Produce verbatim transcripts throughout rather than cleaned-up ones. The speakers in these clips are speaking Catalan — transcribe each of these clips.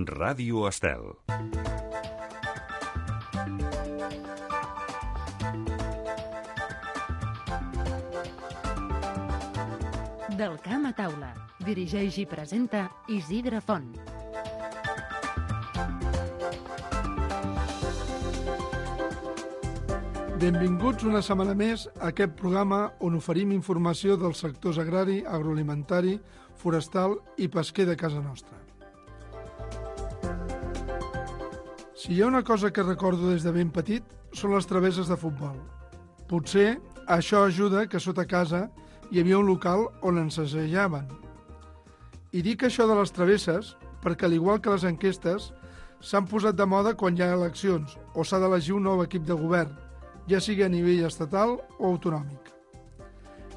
Ràdio Estel. Del camp a taula. Dirigeix i presenta Isidre Font. Benvinguts una setmana més a aquest programa on oferim informació dels sectors agrari, agroalimentari, forestal i pesquer de casa nostra. Si hi ha una cosa que recordo des de ben petit, són les travesses de futbol. Potser això ajuda que sota casa hi havia un local on ens assajaven. I dic això de les travesses perquè, al igual que les enquestes, s'han posat de moda quan hi ha eleccions o s'ha d'elegir un nou equip de govern, ja sigui a nivell estatal o autonòmic.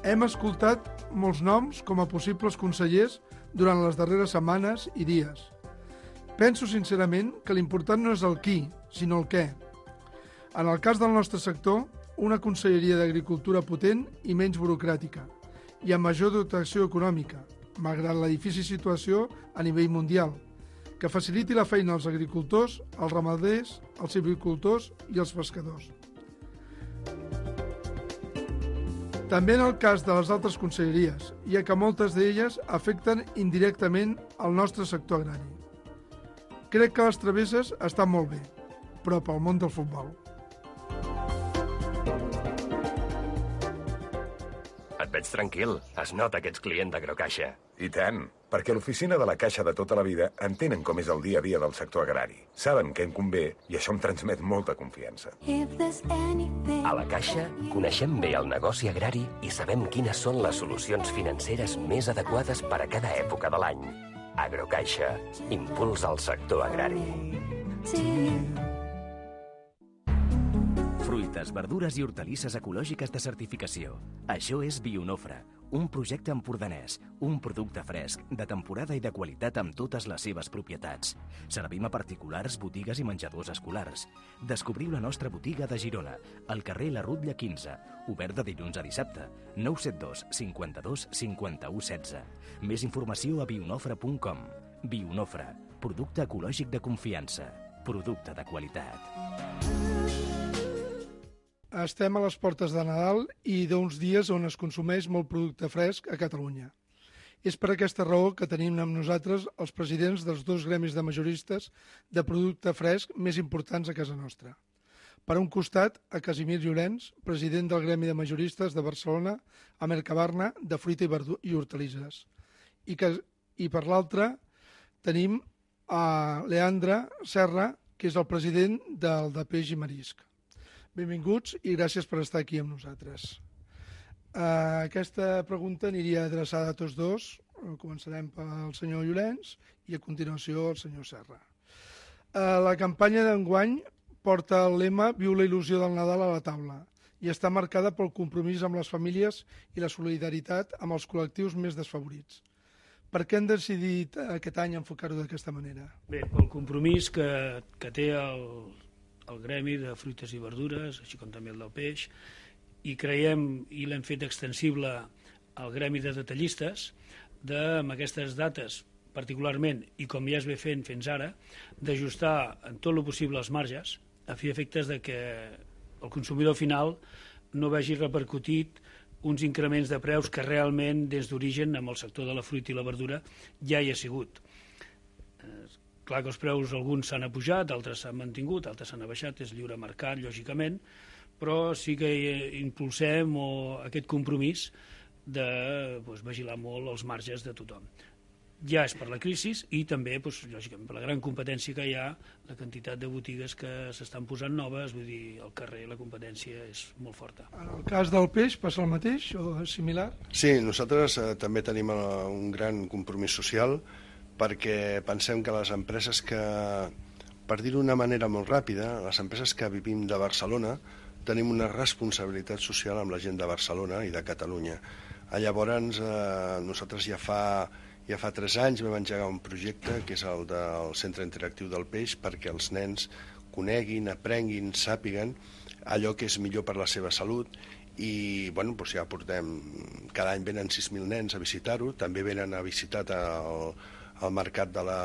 Hem escoltat molts noms com a possibles consellers durant les darreres setmanes i dies. Penso sincerament que l'important no és el qui, sinó el què. En el cas del nostre sector, una conselleria d'agricultura potent i menys burocràtica, i amb major dotació econòmica, malgrat la difícil situació a nivell mundial, que faciliti la feina als agricultors, als ramaders, als silvicultors i als pescadors. També en el cas de les altres conselleries, ja que moltes d'elles afecten indirectament el nostre sector agrari. Crec que les travesses estan molt bé, però pel món del futbol. Et veig tranquil. Es nota que ets client d'Agrocaixa. I tant, perquè l'oficina de la Caixa de tota la vida entenen com és el dia a dia del sector agrari. Saben què em convé i això em transmet molta confiança. A la Caixa coneixem bé el negoci agrari i sabem quines són les solucions financeres més adequades per a cada època de l'any. Agrocaixa, impuls al sector agrari. Fruites, verdures i hortalisses ecològiques de certificació. Això és Bionofre, un projecte empordanès, un producte fresc, de temporada i de qualitat amb totes les seves propietats. Servim a particulars, botigues i menjadors escolars. Descobriu la nostra botiga de Girona, al carrer La Rutlla quinze, obert de dilluns a dissabte, nou set dos cinquanta-dos cinquanta-u setze. Més informació a bionofre punt com. Bionofre, producte ecològic de confiança, producte de qualitat. Estem a les portes de Nadal i d'uns dies on es consumeix molt producte fresc a Catalunya. És per aquesta raó que tenim amb nosaltres els presidents dels dos gremis de majoristes de producte fresc més importants a casa nostra. Per un costat, a Casimir Llorenç, president del gremi de majoristes de Barcelona, a Mercabarna, de fruita i, verdu- i hortalisses. I, que, i per l'altre tenim a Leandre Serra, que és el president del de Peix i Marisc. Benvinguts i gràcies per estar aquí amb nosaltres. Uh, aquesta pregunta aniria adreçada a tots dos. Començarem pel senyor Llorenç i a continuació al senyor Serra. Uh, la campanya d'enguany porta el lema Viu la il·lusió del Nadal a la taula i està marcada pel compromís amb les famílies i la solidaritat amb els col·lectius més desfavorits. Per què han decidit aquest any enfocar-ho d'aquesta manera? Bé, pel compromís que, que té el el gremi de fruites i verdures, així com també el del peix, i creiem, i l'hem fet extensible al gremi de detallistes, de, amb aquestes dates particularment, i com ja es ve fent fins ara, d'ajustar en tot el possible els marges, a fi efectes de que el consumidor final no vegi repercutit uns increments de preus que realment, des d'origen, amb el sector de la fruita i la verdura, ja hi ha sigut. Clar que els preus, alguns s'han apujat, altres s'han mantingut, altres s'han abaixat, és lliure mercat, lògicament, però sí que impulsem o, aquest compromís de doncs, vigilar molt els marges de tothom. Ja és per la crisi i també, doncs, lògicament, per la gran competència que hi ha, la quantitat de botigues que s'estan posant noves, vull dir, al carrer la competència és molt forta. En el cas del peix passa el mateix o és similar? Sí, nosaltres eh, també tenim eh, un gran compromís social, perquè pensem que les empreses que, per dir-ho d'una manera molt ràpida, les empreses que vivim de Barcelona tenim una responsabilitat social amb la gent de Barcelona i de Catalunya. Llavors, eh, nosaltres ja fa, ja fa tres anys vam engegar un projecte que és el del Centre Interactiu del Peix perquè els nens coneguin, aprenguin, sàpiguen allò que és millor per la seva salut i bueno, doncs ja portem, cada any venen sis mil nens a visitar-ho, també venen a visitar el al mercat de la,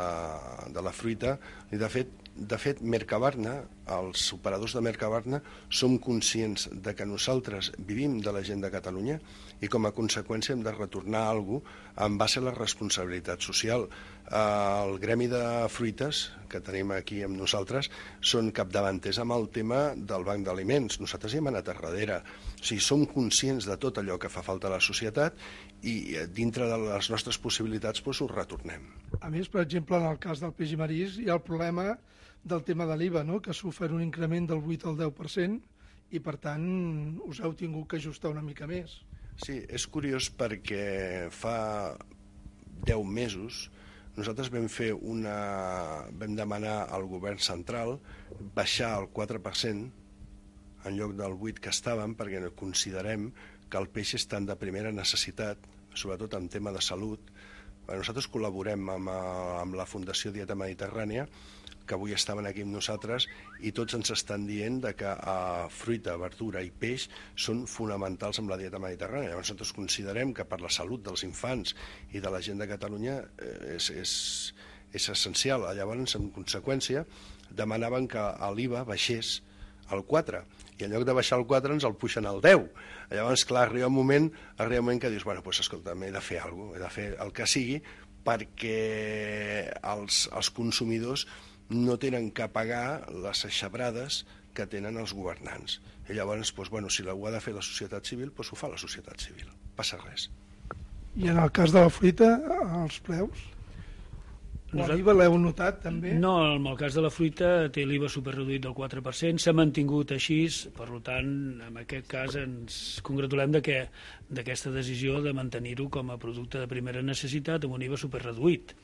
de la fruita. I de fet, de fet, Mercabarna, els operadors de Mercabarna, som conscients de que nosaltres vivim de la gent de Catalunya i com a conseqüència hem de retornar alguna cosa en base a la responsabilitat social. El gremi de fruites que tenim aquí amb nosaltres són capdavanters amb el tema del banc d'aliments. Nosaltres hi hem anat a darrere. O sigui, som conscients de tot allò que fa falta a la societat i dintre de les nostres possibilitats doncs, ho retornem. A més, per exemple, en el cas del peix i marís hi ha el problema del tema de l'I V A, no? Que s'ofereix un increment del vuit al deu per cent i, per tant, us heu tingut que ajustar una mica més. Sí, és curiós perquè fa deu mesos nosaltres vam fer una... vam demanar al govern central baixar el quatre per cent en lloc del vuit que estàvem, perquè considerem que el peix és tan de primera necessitat, sobretot en tema de salut. Nosaltres col·laborem amb, amb la Fundació Dieta Mediterrània, que avui estaven aquí amb nosaltres, i tots ens estan dient de que uh, fruita, verdura i peix són fonamentals amb la dieta mediterrània. Llavors nosaltres considerem que per la salut dels infants i de la gent de Catalunya eh, és, és, és essencial. Llavors, en conseqüència, demanaven que l'I V A baixés al quatre, i en lloc de baixar al quatre ens el puixen al deu. Llavors, clar, arriba un moment, arriba un moment que dius, bueno, doncs escolta, he de fer alguna cosa, he de fer el que sigui perquè els, els consumidors no tenen que pagar les aixabrades que tenen els governants. I llavors, doncs, bueno, si ho ha de fer la societat civil, doncs ho fa la societat civil. Passa res. I en el cas de la fruita, els preus? L'I V A l'heu notat, també? No, en el cas de la fruita té l'I V A superreduït del quatre per cent, s'ha mantingut així, per tant, en aquest cas ens congratulem de que d'aquesta decisió de mantenir-ho com a producte de primera necessitat amb un I V A superreduït.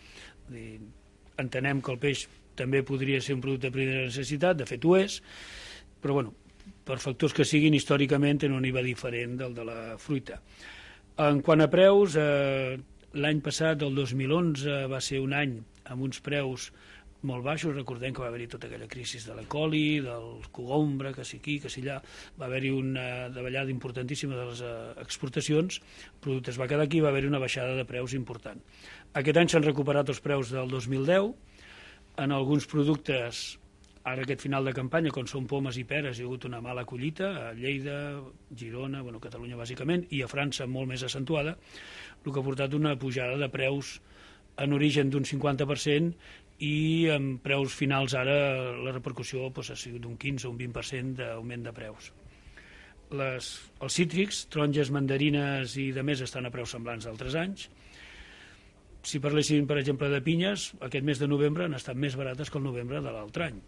Entenem que el peix també podria ser un producte de primera necessitat, de fet ho és, però bueno, per factors que siguin, històricament tenen un I V A diferent del de la fruita. En quant a preus, eh, l'any passat, el dos mil onze, va ser un any amb uns preus molt baixos. Recordem que va haver-hi tota aquella crisi de l'E. coli, del cogombre, que si aquí, que si allà, va haver-hi una davallada importantíssima de les exportacions, el producte es va quedar aquí, va haver-hi una baixada de preus important. Aquest any s'han recuperat els preus del dos mil deu, en alguns productes, ara aquest final de campanya, com són pomes i peres, hi ha hagut una mala collita, a Lleida, Girona, bueno, Catalunya bàsicament, i a França molt més accentuada, el que ha portat una pujada de preus en origen d'un cinquanta per cent i en preus finals ara la repercussió doncs, ha sigut d'un quinze o un vint per cent d'augment de preus. Les, els cítrics, taronges, mandarines i de més estan a preus semblants d'altres anys. Si parléssim, per exemple, de pinyes, aquest mes de novembre han estat més barates que el novembre de l'altre any.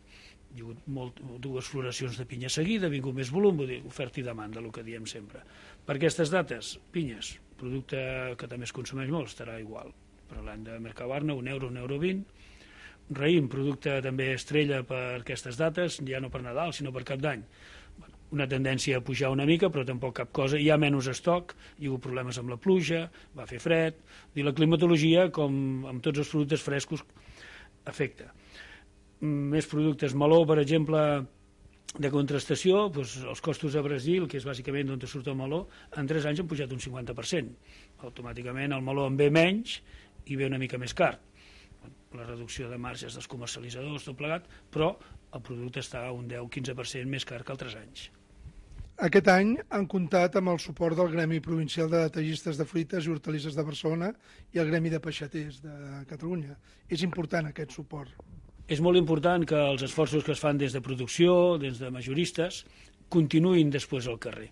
Hi ha hagut molt, dues floracions de pinya seguida, ha vingut més volum, vull dir, oferta i demanda, el que diem sempre. Per aquestes dates, pinyes, producte que també es consumeix molt, estarà igual. Parlant de Mercabarna, un euro, un euro vint. Raïm, producte també estrella per aquestes dates, ja no per Nadal, sinó per Cap d'Any. Una tendència a pujar una mica, però tampoc cap cosa. Hi ha menys estoc, hi ha hagut problemes amb la pluja, va fer fred, i la climatologia, com amb tots els productes frescos, afecta. Més productes, meló, per exemple, de contrastació, doncs els costos a Brasil, que és bàsicament d'on surt el meló, en tres anys han pujat un cinquanta per cent. Automàticament el meló en ve menys i ve una mica més car. La reducció de marges dels comercialitzadors, tot plegat, però el producte està un deu a quinze per cent més car que altres anys. Aquest any han comptat amb el suport del Gremi Provincial de Detallistes de Fruites i Hortalisses de Barcelona i el Gremi de Peixaters de Catalunya. És important aquest suport. És molt important que els esforços que es fan des de producció, des de majoristes, continuïn després al carrer.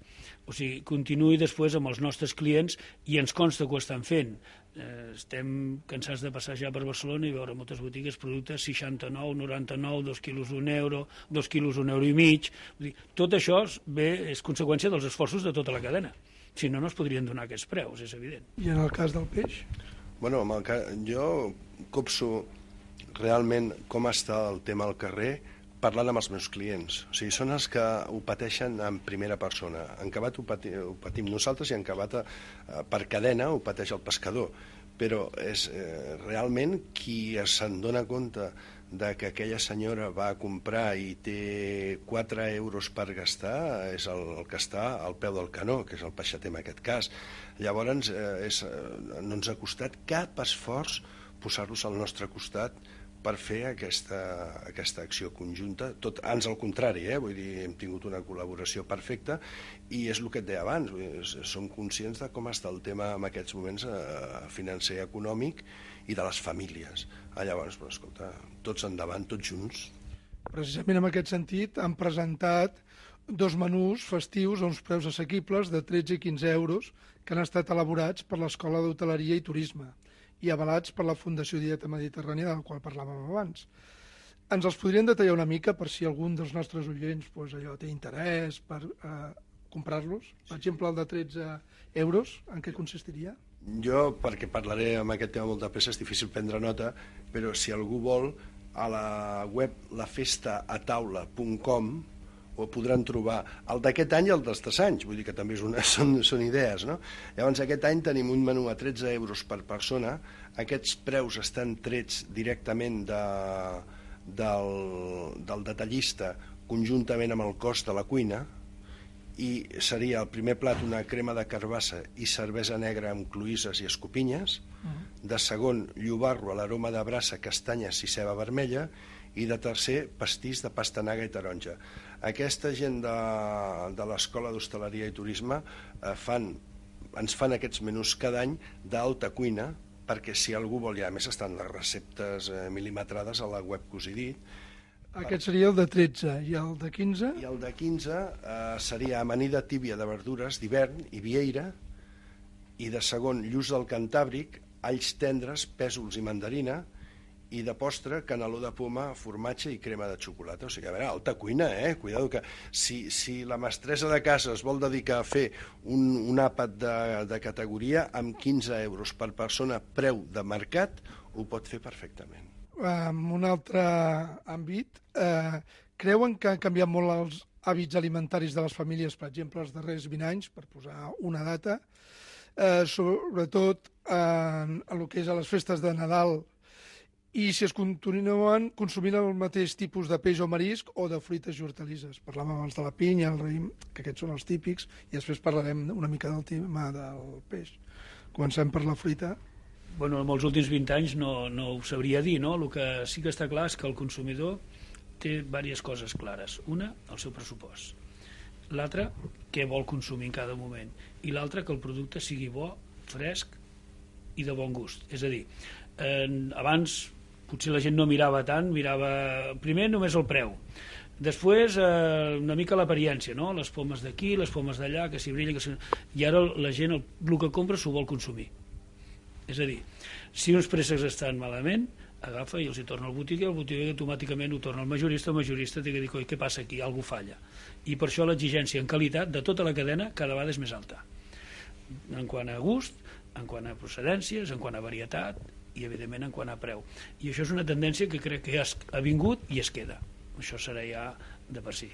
O sigui, continuï després amb els nostres clients i ens consta que ho estan fent. Eh, estem cansats de passejar per Barcelona i veure moltes botigues productes seixanta-nou, noranta-nou, dos quilos un euro, dos quilos un euro i mig. Vull dir, tot això ve, és conseqüència dels esforços de tota la cadena. Si no, no es podrien donar aquests preus, és evident. I en el cas del peix? Bueno, amb el cas, jo copso realment com està el tema al carrer parlant amb els meus clients. O sigui, són els que ho pateixen en primera persona. En Cabat ho, pati, ho patim nosaltres i en Cabat eh, per cadena ho pateix el pescador. Però és eh, realment qui se'n dona compte de que aquella senyora va a comprar i té quatre euros per gastar és el, el que està al peu del canó, que és el peixater en aquest cas. Llavors, eh, és, eh, no ens ha costat cap esforç posar-los al nostre costat per fer aquesta, aquesta acció conjunta, tot ans al contrari, eh? Vull dir, hem tingut una col·laboració perfecta i és el que et deia abans, vull dir, som conscients de com està el tema en aquests moments eh, financer i econòmic i de les famílies. Ah, llavors, però, escolta, tots endavant, tots junts. Precisament en aquest sentit han presentat dos menús festius a uns preus assequibles de tretze i quinze euros que han estat elaborats per l'Escola d'Hoteleria i Turisme i avalats per la Fundació Dieta Mediterrània, del qual parlàvem abans. Ens els podrien detallar una mica per si algun dels nostres oients pues, allò té interès per eh, comprar-los? Per exemple, el de tretze euros, en què consistiria? Jo, perquè parlaré amb aquest tema molt de pressa, és difícil prendre nota, però si algú vol, a la web la festa a taula punt com ho podran trobar el d'aquest any i el dels tres anys, vull dir que també és una, són, són idees, no? Llavors aquest any tenim un menú a tretze euros per persona, aquests preus estan trets directament de, del, del detallista conjuntament amb el cost de la cuina i seria el primer plat una crema de carbassa i cervesa negra amb cloïsses i escopinyes, de segon llobarro a l'aroma de brassa, castanyes i ceba vermella i de tercer pastís de pastanaga i taronja. Aquesta gent de, de l'Escola d'Hostaleria i Turisme eh, fan, ens fan aquests menús cada any d'alta cuina perquè si algú vol, ja a més estan les receptes eh, mil·limetrades a la web que us he dit. Aquest seria el de tretze i el de quinze? I el de quinze eh, seria amanida tíbia de verdures d'hivern i vieira i de segon lluç del Cantàbric, alls tendres, pèsols i mandarina i de postre, caneló de poma, formatge i crema de xocolata. O sigui, a veure, alta cuina, eh? Cuidado que si, si la mestressa de casa es vol dedicar a fer un, un àpat de, de categoria amb quinze euros per persona preu de mercat, ho pot fer perfectament. En un altre àmbit, eh, creuen que han canviat molt els hàbits alimentaris de les famílies, per exemple, els darrers vint anys, per posar una data, eh, sobretot en, en el que és a les festes de Nadal, i si es continuen consumint el mateix tipus de peix o marisc o de fruites i hortalisses. Parlàvem abans de la pinya, el raïm, que aquests són els típics, i després parlarem una mica del tema del peix. Comencem per la fruita. Bueno, en els últims vint anys no, no ho sabria dir, no? El que sí que està clar és que el consumidor té diverses coses clares. Una, el seu pressupost. L'altra, què vol consumir en cada moment. I l'altra, que el producte sigui bo, fresc i de bon gust. És a dir, eh, abans potser la gent no mirava tant, mirava primer només el preu, després eh, una mica l'apariència, no? Les pomes d'aquí, les pomes d'allà, que si brilla, que si... i ara la gent el, el que compra s'ho vol consumir. És a dir, si uns préssecs estan malament, agafa i els hi torna al botiguer, el botiguer automàticament ho torna al majorista, el majorista té que dir, oi, què passa aquí? Algú falla. I per això l'exigència en qualitat de tota la cadena cada vegada és més alta. En quant a gust, en quant a procedències, en quant a varietat, i evidentment en quant a preu. I això és una tendència que crec que ja ha vingut i es queda. Això serà ja de per si.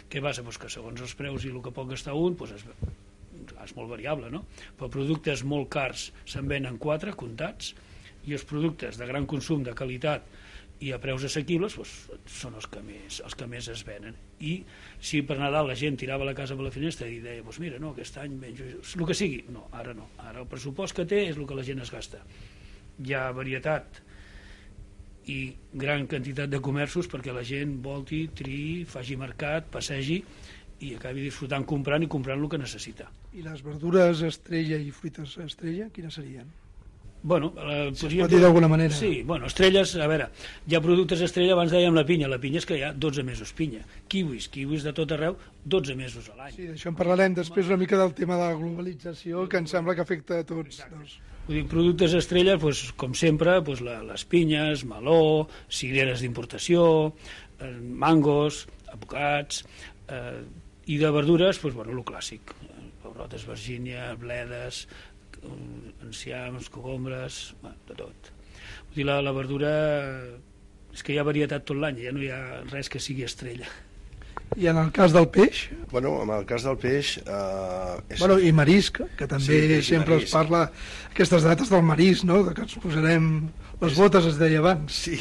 Què passa? Pues que segons els preus i el que pot gastar un, pues és, és molt variable, no? Però productes molt cars se'n venen quatre, comptats, i els productes de gran consum, de qualitat i a preus assequibles pues, són els que, més, els que més es venen. I si per Nadal la gent tirava la casa per la finestra i deia, pues mira, no, aquest any menjo el que sigui. No, ara no. Ara el pressupost que té és el que la gent es gasta. Hi ha varietat i gran quantitat de comerços perquè la gent volti, triï, faci mercat, passegi i acabi disfrutant comprant i comprant el que necessita. I les verdures estrella i fruites estrella, quines serien? Bueno, eh, si podria... es pot dir d'alguna manera. Sí, bueno, estrelles, a veure, hi ha productes estrella, abans dèiem la pinya, la pinya és que hi ha dotze mesos pinya, kiwis, kiwis de tot arreu, dotze mesos a l'any. Sí, d'això en parlarem després una mica del tema de la globalització, que em sembla que afecta a tots. Doncs. Vull dir, productes estrella, doncs, com sempre, doncs, la, les pinyes, meló, cireres d'importació, eh, mangos, avocats, eh, i de verdures, doncs, bueno, el clàssic, pebrotes, virgínia, bledes, enciams, cogombres, bueno, de tot. Vull dir, la, la verdura és que hi ha varietat tot l'any, ja no hi ha res que sigui estrella. I en el cas del peix? Bueno, en el cas del peix... Eh, és... Bueno, i marisc, que també sí, sempre es parla aquestes dates del marisc, no? De que ens posarem les és... botes, es deia abans. Sí,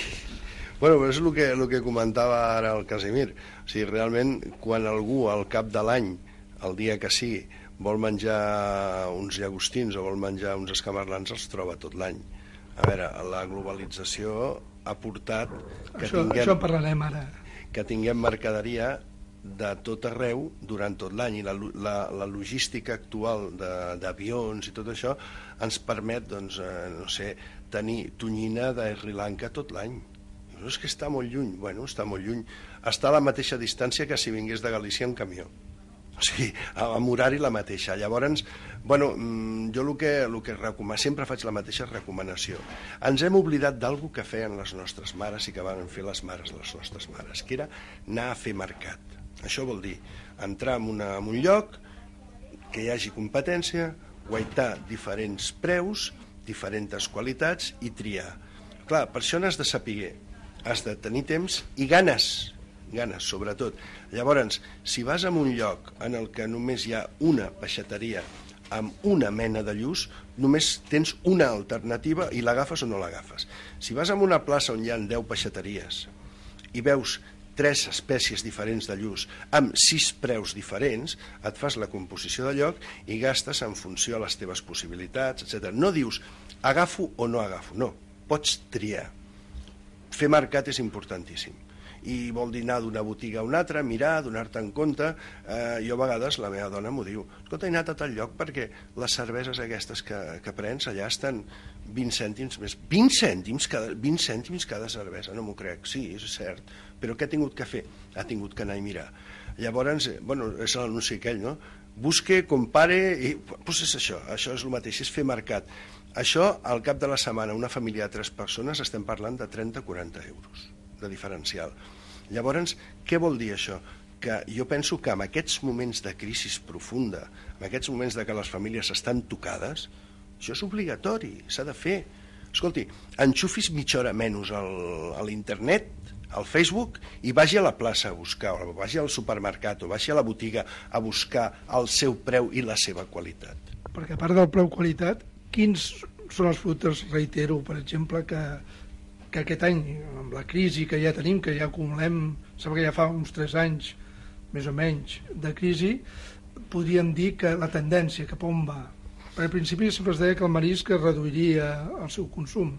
bueno, és el que, el que comentava ara el Casimir. O sigui, realment, quan algú al cap de l'any, el dia que sigui, vol menjar uns llagostins o vol menjar uns escamarlans, els troba tot l'any. A veure, la globalització ha portat que això, tinguem, això parlarem ara. que tinguem mercaderia de tot arreu durant tot l'any, i la, la, la logística actual d'avions i tot això ens permet, doncs, eh, no sé, tenir tonyina de Sri Lanka tot l'any. No és que està molt lluny. Bueno, està molt lluny. Està a la mateixa distància que si vingués de Galícia en camió. O sigui, amb horari la mateixa. Llavors, bueno, jo el que, el que recomano, sempre faig la mateixa recomanació. Ens hem oblidat d'algú que feien les nostres mares i que van fer les mares de les nostres mares, que era anar a fer mercat. Això vol dir entrar en, una, en un lloc, que hi hagi competència, guaitar diferents preus, diferents qualitats i triar. Clar, per això n'has de saber, has de tenir temps i ganes, ganes, sobretot. Llavors, si vas a un lloc en el que només hi ha una peixateria amb una mena de lluç, només tens una alternativa i l'agafes o no l'agafes. Si vas a una plaça on hi ha deu peixateries i veus tres espècies diferents de lluç amb sis preus diferents, et fas la composició de lloc i gastes en funció a les teves possibilitats, etcètera. No dius agafo o no agafo, no, pots triar. Fer mercat és importantíssim. I vol dir anar d'una botiga a una altra, mirar, donar-te'n compte. Eh, jo a vegades, la meva dona m'ho diu, escolta, he anat a tal lloc perquè les cerveses aquestes que, que prens allà estan vint cèntims més. vint cèntims cada, vint cèntims cada cervesa, no m'ho crec. Sí, és cert. Però què ha tingut que fer? Ha tingut que anar i mirar. Llavors, eh, bueno, és l'anunci aquell, no? Busque, compare, i doncs és això, això és el mateix, és fer mercat. Això, al cap de la setmana, una família de tres persones, estem parlant de trenta a quaranta euros de diferencial. Llavors, què vol dir això? Que jo penso que en aquests moments de crisi profunda, en aquests moments de que les famílies estan tocades, això és obligatori, s'ha de fer. Escolti, enxufis mitja hora menys al, a l'internet, al Facebook, i vagi a la plaça a buscar, o vagi al supermercat, o vagi a la botiga a buscar el seu preu i la seva qualitat. Perquè a part del preu-qualitat, quins són els productes, reitero, per exemple, que, que aquest any, amb la crisi que ja tenim, que ja acumulem, sembla que ja fa uns tres anys, més o menys, de crisi, podríem dir que la tendència cap on va? Perquè al principi sempre es deia que el marisc es reduiria el seu consum.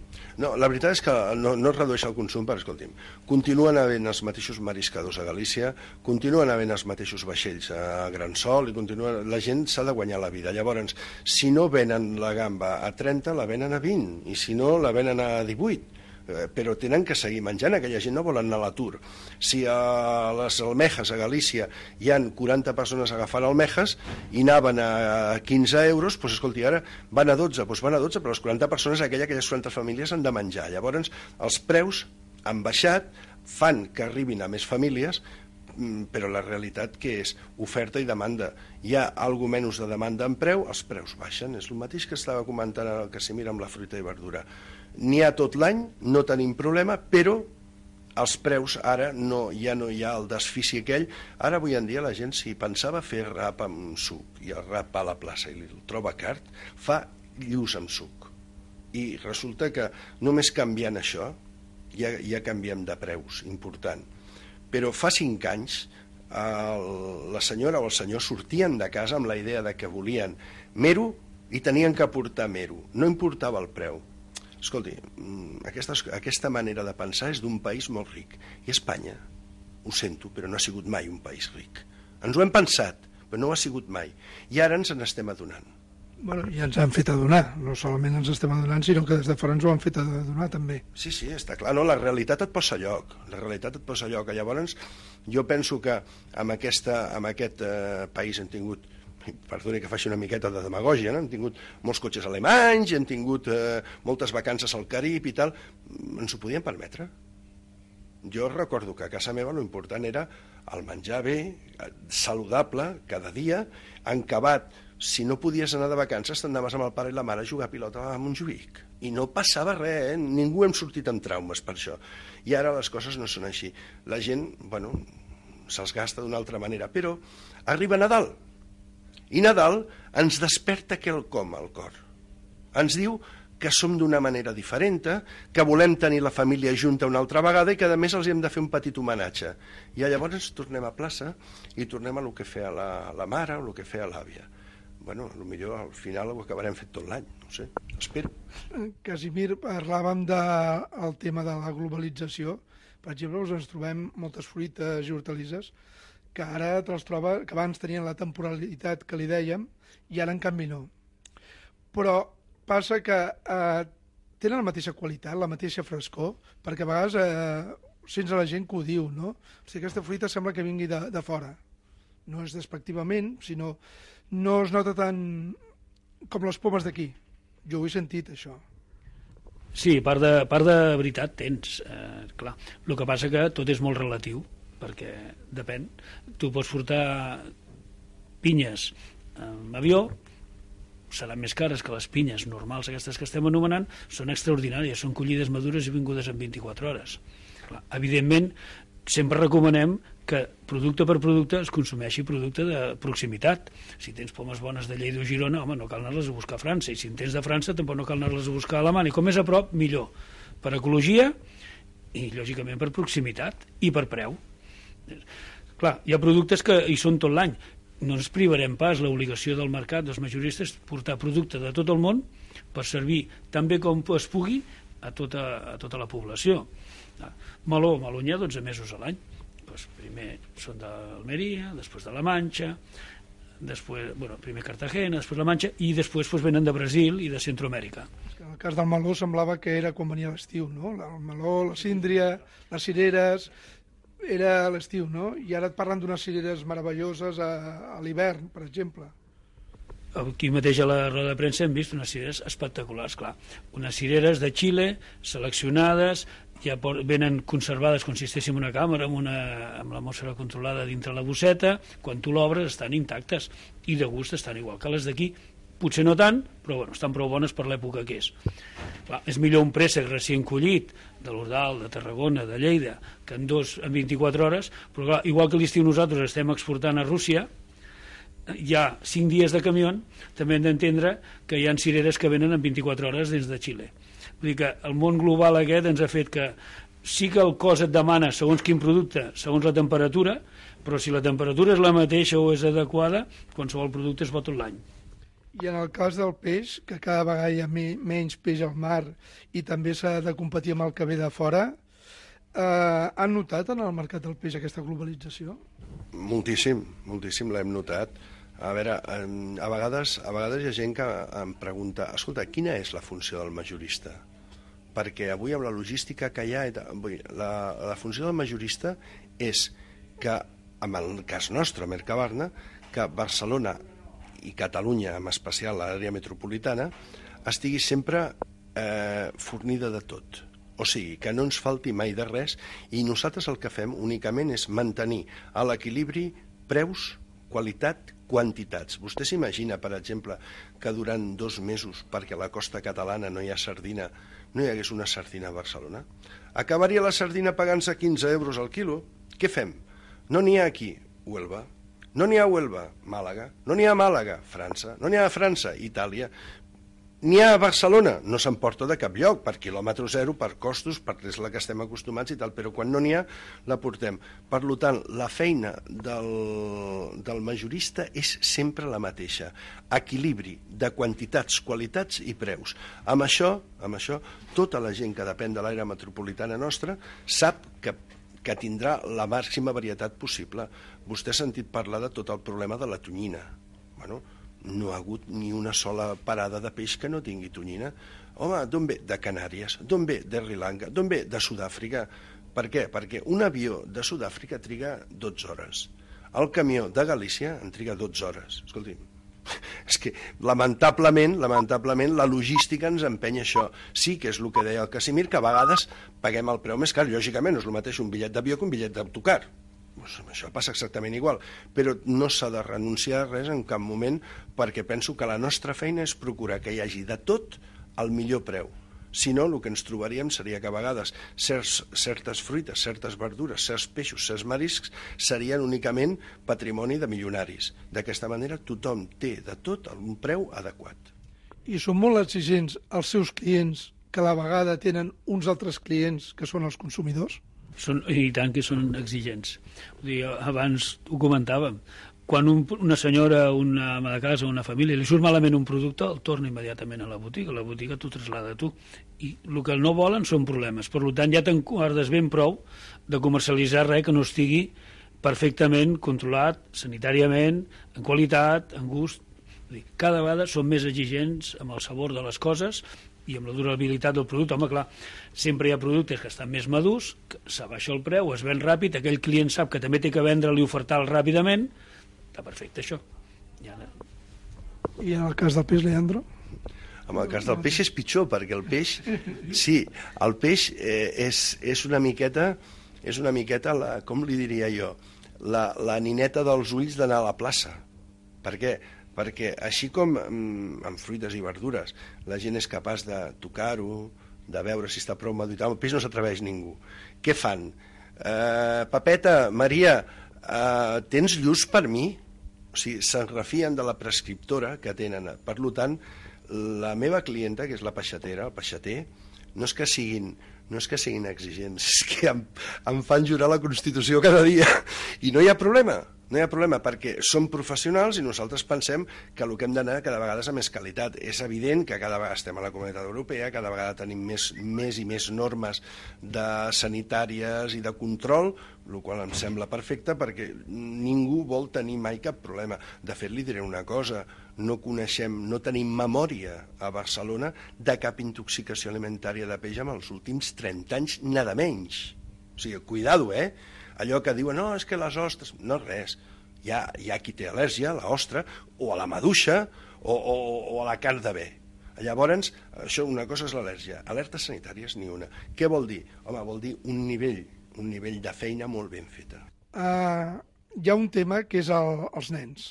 No, la veritat és que no, no es redueix el consum, però escolti'm, continuen havent els mateixos mariscadors a Galícia, continuen havent els mateixos vaixells a Gran Sol, i continua... la gent s'ha de guanyar la vida. Llavors, si no venen la gamba a trenta, la venen a vint, i si no, la venen a divuit. Però tenen que seguir menjant, aquella gent no vol anar a l'atur. Si a les almejes a Galícia hi han quaranta persones agafant almejes i anaven a quinze euros, doncs escolti, ara van a dotze, doncs van a dotze, però les quaranta persones, aquella, aquelles quaranta famílies han de menjar. Llavors, els preus han baixat, fan que arribin a més famílies, però la realitat que és oferta i demanda. Hi ha alguna menys de demanda en preu, els preus baixen. És el mateix que estava comentant el Casimir amb la fruita i verdura. N'hi ha tot l'any, no tenim problema, però els preus ara no, ja no hi ha el desfici aquell. Ara avui en dia la gent, si pensava fer rap amb suc i el rap va a la plaça i el troba car, fa lluç amb suc. I resulta que només canviant això ja, ja canviem de preus, important. Però fa cinc anys el, la senyora o el senyor sortien de casa amb la idea de que volien mero i tenien que portar mero. No importava el preu. Escolti, aquesta, aquesta manera de pensar és d'un país molt ric. I Espanya, ho sento, però no ha sigut mai un país ric. Ens ho hem pensat, però no ho ha sigut mai. I ara ens n'estem adonant. Bueno, i ens han fet adonar. No solament ens estem adonant, sinó que des de fora ens ho han fet adonar també. Sí, sí, està clar. No, la realitat et posa a lloc. La realitat et posa a lloc. Llavors, jo penso que amb, aquesta, amb aquest eh, país hem tingut, perdoni que faci una miqueta de demagògia, no? Hem tingut molts cotxes alemanys, hem tingut eh, moltes vacances al Carib i tal. Ens ho podíem permetre. Jo recordo que a casa meva l'important era el menjar bé, saludable, cada dia, encabat. Si no podies anar de vacances, t'anaves amb el pare i la mare a jugar a pilota a Montjuïc. I no passava res, eh? Ningú hem sortit amb traumes per això. I ara les coses no són així. La gent, bueno, se'ls gasta d'una altra manera. Però arriba Nadal. I Nadal ens desperta quelcom al cor. Ens diu que som d'una manera diferent, que volem tenir la família junta una altra vegada i que a més els hem de fer un petit homenatge. I llavors tornem a plaça i tornem a lo que feia la, la mare o el que feia l'àvia. bueno, potser al final ho acabarem fet tot l'any, no sé, espero. Casimir, parlàvem del tema de la globalització. Per exemple, ens trobem moltes fruites i hortalisses que ara te les troba, que abans tenien la temporalitat que li dèiem i ara en canvi no. Però passa que eh, tenen la mateixa qualitat, la mateixa frescor, perquè a vegades eh, sents a la gent que ho diu, no? O sigui, aquesta fruita sembla que vingui de, de fora. No és despectivament, sinó no es nota tant com les pomes d'aquí. Jo ho he sentit, això. Sí, part de, part de veritat tens, eh, clar. El que passa que tot és molt relatiu, perquè depèn. Tu pots portar pinyes en avió, seran més cares que les pinyes normals, aquestes que estem anomenant, són extraordinàries, són collides madures i vingudes en vint-i-quatre hores. Clar, evidentment, sempre recomanem que producte per producte es consumeixi producte de proximitat. Si tens pomes bones de Lleida o Girona, home, no cal anar-les a buscar a França, i si en tens de França tampoc no cal anar-les a buscar a Alemanya. Com més a prop, millor. Per ecologia i, lògicament, per proximitat i per preu. Clar, hi ha productes que hi són tot l'any. No ens privarem pas l'obligació del mercat, dels majoristes, portar producte de tot el món per servir tan bé com es pugui a tota, a tota la població. Meló, meló n'hi ha dotze mesos a l'any. Pues primer són d'Almeria, després de la Manxa, després, bueno, primer Cartagena, després la Manxa, i després pues, venen de Brasil i de Centroamèrica. En el cas del meló semblava que era quan venia l'estiu, no? El meló, la síndria, les cireres, era a l'estiu, no? I ara et parlen d'unes cireres meravelloses a, a l'hivern, per exemple. Aquí mateix a la roda de premsa hem vist unes cireres espectaculars, clar. Unes cireres de Xile, seleccionades, ja venen conservades com si estéssim en una càmera amb, una, amb l'atmosfera controlada dintre la bosseta. Quan tu l'obres estan intactes i de gust estan igual que les d'aquí, potser no tant, però bueno, estan prou bones per l'època que és. Clar, és millor un préssec recient collit de l'Ordal, de Tarragona, de Lleida, que en dos en vint-i-quatre hores, però clar, igual que l'estiu nosaltres estem exportant a Rússia, hi ha cinc dies de camió, també hem d'entendre que hi ha cireres que venen en vint-i-quatre hores des de Xile. Vull dir que el món global aquest ens ha fet que sí que el cos et demana segons quin producte, segons la temperatura, però si la temperatura és la mateixa o és adequada, qualsevol producte es va tot l'any. I en el cas del peix, que cada vegada hi ha menys peix al mar i també s'ha de competir amb el que ve de fora, eh, han notat en el mercat del peix aquesta globalització? Moltíssim, moltíssim l'hem notat. A veure, a vegades, a vegades hi ha gent que em pregunta, escolta, quina és la funció del majorista? Perquè avui amb la logística que hi ha, la, la funció del majorista és que, en el cas nostre, Mercabarna, que Barcelona i Catalunya, en especial l'àrea metropolitana, estigui sempre eh, fornida de tot. O sigui, que no ens falti mai de res i nosaltres el que fem únicament és mantenir a l'equilibri preus, qualitat, quantitats. Vostè s'imagina, per exemple, que durant dos mesos, perquè a la costa catalana no hi ha sardina, no hi hagués una sardina a Barcelona? Acabaria la sardina pagant-se quinze euros al quilo? Què fem? No n'hi ha aquí, Huelva. No n'hi ha a Huelva, Màlaga. No n'hi ha a Màlaga, França. No n'hi ha a França, Itàlia. N'hi ha a Barcelona, no s'emporta de cap lloc, per quilòmetre zero, per costos, perquè és la que estem acostumats i tal, però quan no n'hi ha, la portem. Per tant, la feina del, del majorista és sempre la mateixa. Equilibri de quantitats, qualitats i preus. Amb això, amb això, tota la gent que depèn de l'àrea metropolitana nostra sap que, que tindrà la màxima varietat possible. Vostè ha sentit parlar de tot el problema de la tonyina. Bueno, no ha hagut ni una sola parada de peix que no tingui tonyina. Home, d'on ve? De Canàries. D'on ve? De Sri Lanka. D'on ve? De Sud-àfrica. Per què? Perquè un avió de Sud-àfrica triga dotze hores. El camió de Galícia en triga dotze hores. Escolti'm, és que lamentablement, lamentablement la logística ens empenya això. Sí que és el que deia el Casimir, que a vegades paguem el preu més car. Lògicament no és el mateix un bitllet d'avió que un bitllet d'autocar. Pues això passa exactament igual, però no s'ha de renunciar a res en cap moment, perquè penso que la nostra feina és procurar que hi hagi de tot al millor preu. Si no, el que ens trobaríem seria que a vegades certs, certes fruites, certes verdures, certs peixos, certs mariscs serien únicament patrimoni de milionaris. D'aquesta manera tothom té de tot a un preu adequat. I són molt exigents els seus clients, que a la vegada tenen uns altres clients que són els consumidors? Són, i tant que són exigents. Vull dir, abans ho comentàvem, quan un, una senyora, una ama de casa, una família, li surt malament un producte, el torna immediatament a la botiga, la botiga t'ho traslada a tu. I el que no volen són problemes. Per tant, ja t'enguardes ben prou de comercialitzar res que no estigui perfectament controlat, sanitàriament, en qualitat, en gust. Cada vegada són més exigents amb el sabor de les coses i amb la durabilitat del producte. Home, clar, sempre hi ha productes que estan més madurs, que s'abaixa el preu, es ven ràpid, aquell client sap que també té que vendre-li i ofertar-lo ràpidament, està perfecte això. I, ara... I en el cas del peix, Leandro? En el cas del peix és pitjor, perquè el peix, sí, el peix eh, és, és una miqueta, és una miqueta, la, com li diria jo, la, la nineta dels ulls d'anar a la plaça. Per què? Perquè així com amb fruites i verdures la gent és capaç de tocar-ho, de veure si està prou madur i tal, el peix no s'atreveix ningú. Què fan? Eh, Papeta, Maria, eh, tens lluç per mi? O sigui, se'n refien de la prescriptora que tenen. Per tant, la meva clienta, que és la peixatera, el peixater, no és que siguin, no és que siguin exigents, és que em, em fan jurar la Constitució cada dia. I no hi ha problema. No hi ha problema, perquè som professionals i nosaltres pensem que el que hem d'anar cada vegada és a més qualitat. És evident que cada vegada estem a la Comunitat Europea, cada vegada tenim més, més i més normes de sanitàries i de control, el qual em sembla perfecte perquè ningú vol tenir mai cap problema. De fet, li diré una cosa, no coneixem, no tenim memòria a Barcelona de cap intoxicació alimentària de peix en els últims trenta anys, nada menys. O sigui, cuidado, eh? Allò que diuen, no, és que les ostres... No, res. Hi ha, hi ha qui té al·lèrgia a l'ostra, o a la maduixa, o, o, o a la carn de bé. Llavors, això, una cosa és l'al·lèrgia. Alertes sanitàries, ni una. Què vol dir? Home, vol dir un nivell, un nivell de feina molt ben feta. Uh, hi ha un tema que és el, els nens.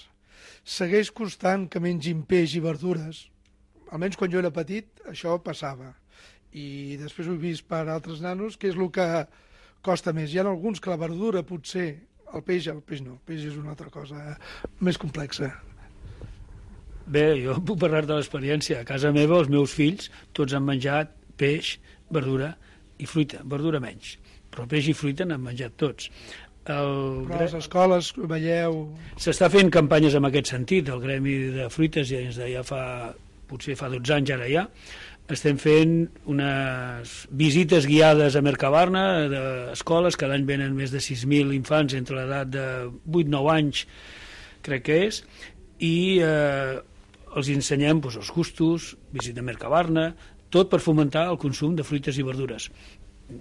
Segueix costant que mengin peix i verdures. Almenys quan jo era petit, això passava. I després ho he vist per altres nanos, que és el que costa més. Hi ha alguns que la verdura potser, el peix, el peix no, el peix és una altra cosa eh? més complexa. Bé, jo puc parlar de l'experiència. A casa meva els meus fills tots han menjat peix, verdura i fruita, verdura menys, però peix i fruita n'han menjat tots. El... Però a les escoles veieu... S'està fent campanyes en aquest sentit, el Gremi de Fruites ja, ja fa, potser fa dotze anys ara ja, estem fent unes visites guiades a Mercabarna d'escoles, cada any venen més de sis mil infants entre l'edat de vuit nou anys, crec que és, i eh, els ensenyem doncs, els gustos, visita a Mercabarna, tot per fomentar el consum de fruites i verdures.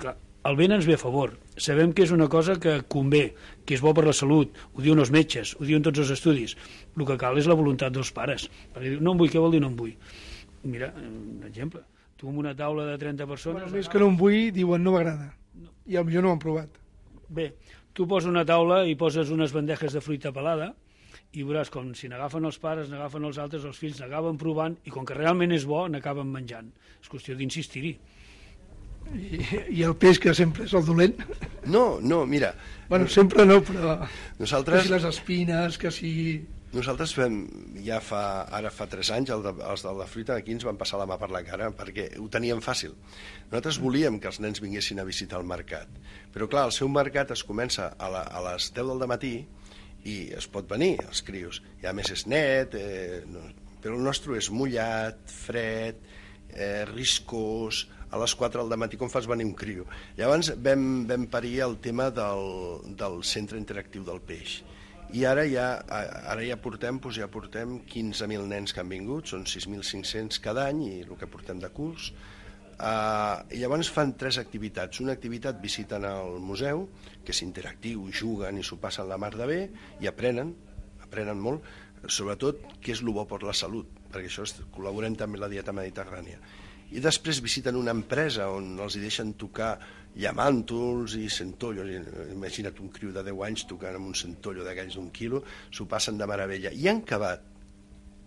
Clar, el vent ens ve a favor, sabem que és una cosa que convé, que és bo per la salut, ho diuen els metges, ho diuen tots els estudis, el que cal és la voluntat dels pares, perquè diu, no em vull, què vol dir no em vull? Mira, un exemple, tu amb una taula de trenta persones... Bueno, més que no em vull, diuen no m'agrada, no. I potser no ho han provat. Bé, tu poses una taula i poses unes bandejes de fruita pelada i veuràs com si n'agafen els pares, n'agafen els altres, els fills n'agaven provant i com que realment és bo, n'acaben menjant. És qüestió d'insistir-hi. I, I el peix, que sempre és el dolent? No, no, mira... Bueno, sempre no, però... Nosaltres... Que si les espines, que si... Nosaltres fem, ja fa, ara fa tres anys, el de, els de la fruita aquí ens van passar la mà per la cara perquè ho teníem fàcil. Nosaltres volíem que els nens vinguessin a visitar el mercat, però clar, el seu mercat es comença a, la, a les deu del matí i es pot venir, els crios. I a més és net, eh, no, però el nostre és mullat, fred, eh, riscós, a les quatre del matí com fas venir un crio. Llavors vam, vam parir el tema del, del centre interactiu del peix. I ara ja, ara ja portem, doncs ja portem quinze mil nens que han vingut, són sis mil cinc-cents cada any i el que portem de curs. Uh, I llavors fan tres activitats. Una activitat visiten el museu, que és interactiu, juguen i s'ho passen la mar de bé i aprenen, aprenen molt, sobretot què és el bo per la salut, perquè això és, col·laborem també amb la dieta mediterrània. I després visiten una empresa on els hi deixen tocar llamàntols i centollos. Imagina't un criu de deu anys tocant amb un centollo d'aquells d'un quilo, s'ho passen de meravella. I en acabat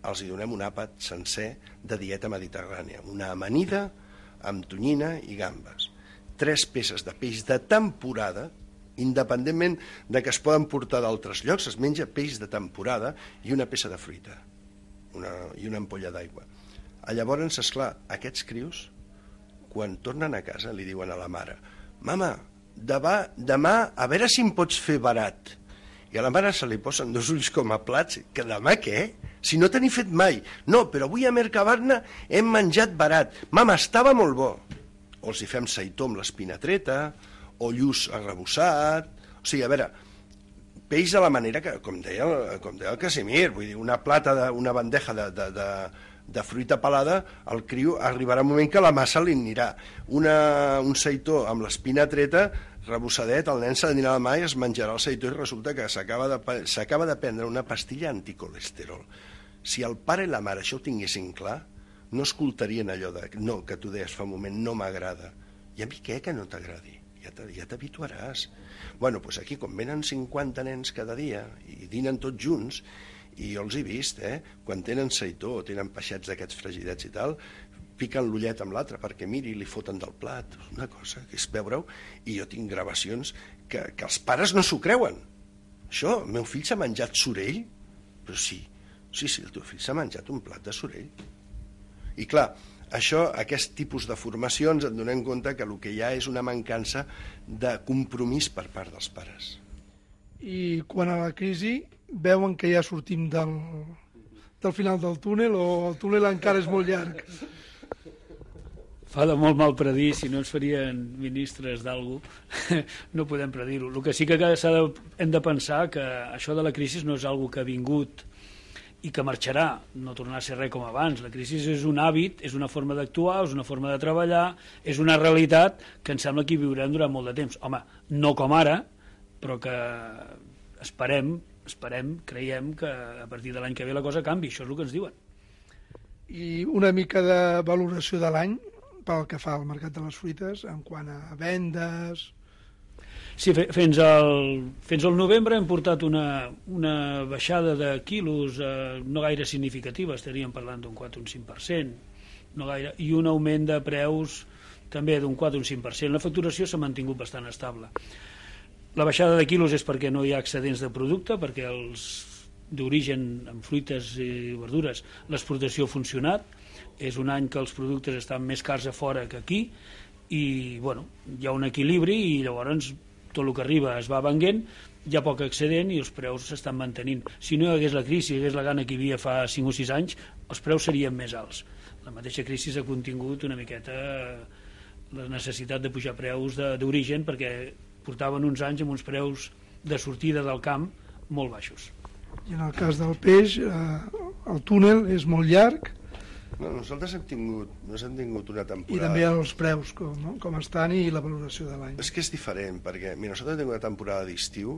els hi donem un àpat sencer de dieta mediterrània, una amanida amb tonyina i gambes. Tres peces de peix de temporada, independentment de que es poden portar d'altres llocs, es menja peix de temporada i una peça de fruita una, i una ampolla d'aigua. Llavors, esclar, aquests crios, quan tornen a casa, li diuen a la mare: «Mama, demà, demà a veure si em pots fer barat». I a la mare se li posen dos ulls com a plats, que demà què? Si no t'he fet mai. No, però avui a Mercabarna hem menjat barat. Mama, estava molt bo. O els hi fem seitó amb l'espinatreta, o lluç arrebossat. O sigui, a veure, peix de la manera que, com deia, com deia el Casimir, vull dir, una plata, de, una bandeja de, de, de, de fruita pelada, el criu arribarà un moment que la massa li anirà. Una, un seitó amb l'espinatreta, rebossadet, el nen se n'anirà a la mà i es menjarà el seitó i resulta que s'acaba de, s'acaba de prendre una pastilla anticolesterol. Si el pare i la mare això ho tinguessin clar, no escoltarien allò de, no, que tu deies fa un moment, no m'agrada. I a mi què que no t'agradi? Ja t'habituaràs. Bueno, doncs aquí, com venen cinquanta nens cada dia i dinen tots junts, i jo els he vist, eh? Quan tenen seitó o tenen peixets d'aquests fregidets i tal, piquen l'ullet amb l'altre perquè miri i li foten del plat. Una cosa que és veure-ho, i jo tinc gravacions que, que els pares no s'ho creuen. Això, el meu fill s'ha menjat sorell? Però sí, sí, sí, el teu fill s'ha menjat un plat de sorell. I clar, això, aquest tipus de formacions et donem compte que el que hi ha és una mancança de compromís per part dels pares. I quan a la crisi veuen que ja sortim del, del final del túnel o el túnel encara és molt llarg? Fa de molt mal predir, si no ens farien ministres d'algú, no podem predir-ho. El que sí que de, hem de pensar que això de la crisi no és algo que ha vingut i que marxarà, no tornarà a ser res com abans. La crisi és un hàbit, és una forma d'actuar, és una forma de treballar, és una realitat que em sembla que hi viurem durant molt de temps. Home, no com ara, però que esperem, esperem, creiem que a partir de l'any que ve la cosa canvi, això és el que ens diuen. I una mica de valoració de l'any pel que fa al mercat de les fruites, en quant a vendes... Sí, fins al, fins al novembre hem portat una, una baixada de quilos eh, no gaire significativa, estaríem parlant d'un quatre o un cinc per cent, no gaire, i un augment de preus també d'un quatre o un cinc per cent. La facturació s'ha mantingut bastant estable. La baixada de quilos és perquè no hi ha excedents de producte, perquè els d'origen en fruites i verdures l'exportació ha funcionat, és un any que els productes estan més cars a fora que aquí i bueno, hi ha un equilibri i llavors tot el que arriba es va venent, hi ha poc excedent i els preus s'estan mantenint. Si no hi hagués la crisi, hi hagués la gana que hi havia fa cinc o sis anys, els preus serien més alts. La mateixa crisi ha contingut una miqueta la necessitat de pujar preus d'origen perquè portaven uns anys amb uns preus de sortida del camp molt baixos. I en el cas del peix, eh, el túnel és molt llarg. No, nosaltres hem tingut, no hem tingut una temporada... I també els preus, com, no? com estan i la valoració de l'any. És que és diferent, perquè mira, nosaltres hem tingut una temporada d'estiu,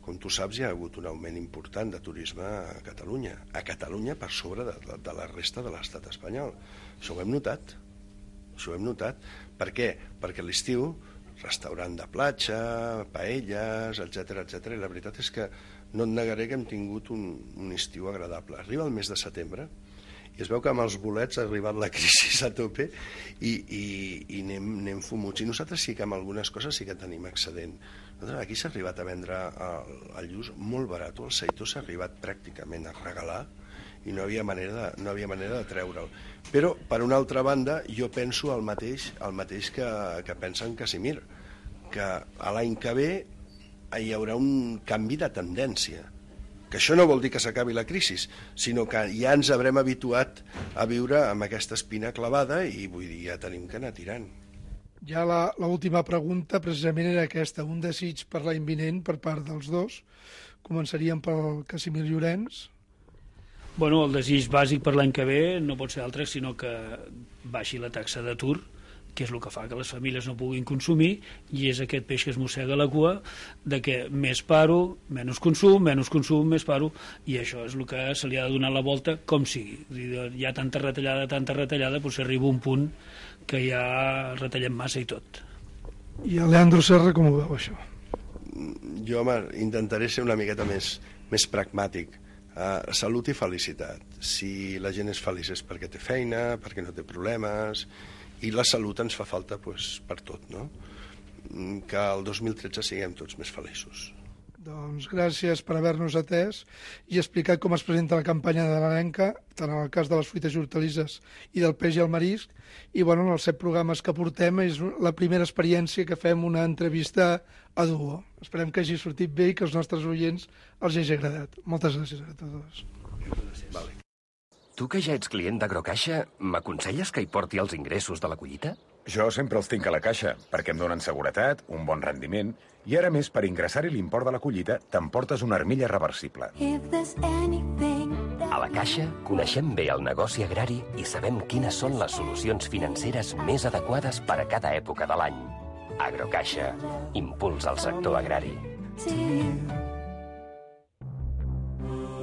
com tu saps, hi ha hagut un augment important de turisme a Catalunya. A Catalunya per sobre de, de, de la resta de l'estat espanyol. Això ho hem notat. Això ho hem notat. Per què? Perquè a l'estiu, restaurant de platja, paelles, etcètera, etcètera, i la veritat és que no et negaré que hem tingut un, un estiu agradable. Arriba el mes de setembre, i es veu que amb els bolets ha arribat la crisi a tope i, i, i anem, anem fumuts. I nosaltres sí que amb algunes coses sí que tenim excedent. Nosaltres aquí s'ha arribat a vendre el, el lluç molt barat, el seitó s'ha arribat pràcticament a regalar i no havia manera de, no havia manera de treure'l. Però, per una altra banda, jo penso el mateix, el mateix que, que pensa en Casimir, que a l'any que ve hi haurà un canvi de tendència. Que això no vol dir que s'acabi la crisi, sinó que ja ens haurem habituat a viure amb aquesta espina clavada i vull dir, ja tenim que anar tirant. Ja l'última pregunta precisament era aquesta, un desig per l'any vinent per part dels dos. Començaríem pel Casimir Llorenç. Bueno, el desig bàsic per l'any que ve no pot ser altre sinó que baixi la taxa d'atur, que és el que fa que les famílies no puguin consumir, i és aquest peix que es mossega la cua de que més paro, menys consum, menys consum, més paro, i això és el que se li ha de donar la volta com sigui. Hi ha tanta retallada, tanta retallada, doncs arriba un punt que ja retallem massa i tot. I el Leandro Serra com ho veu, això? Jo, home, intentaré ser una miqueta més, més pragmàtic. Uh, salut i felicitat. Si la gent és feliç és perquè té feina, perquè no té problemes, i la salut ens fa falta pues, per tot, no? Que el dos mil tretze siguem tots més feliços. Doncs gràcies per haver-nos atès i explicat com es presenta la campanya de l'Arenca, tant en el cas de les fruites i hortalisses i del peix i el marisc. I bueno, en els set programes que portem és la primera experiència que fem una entrevista a duo. Esperem que hagi sortit bé i que els nostres oients els hagi agradat. Moltes gràcies a tots. Vale. Tu que ja ets client d'Agrocaixa, m'aconselles que hi porti els ingressos de la collita? Jo sempre els tinc a la caixa, perquè em donen seguretat, un bon rendiment, i ara més, per ingressar-hi l'import de la collita, t'emportes una armilla reversible. A la Caixa coneixem bé el negoci agrari i sabem quines són les solucions financeres més adequades per a cada època de l'any. Agrocaixa, impuls al sector agrari.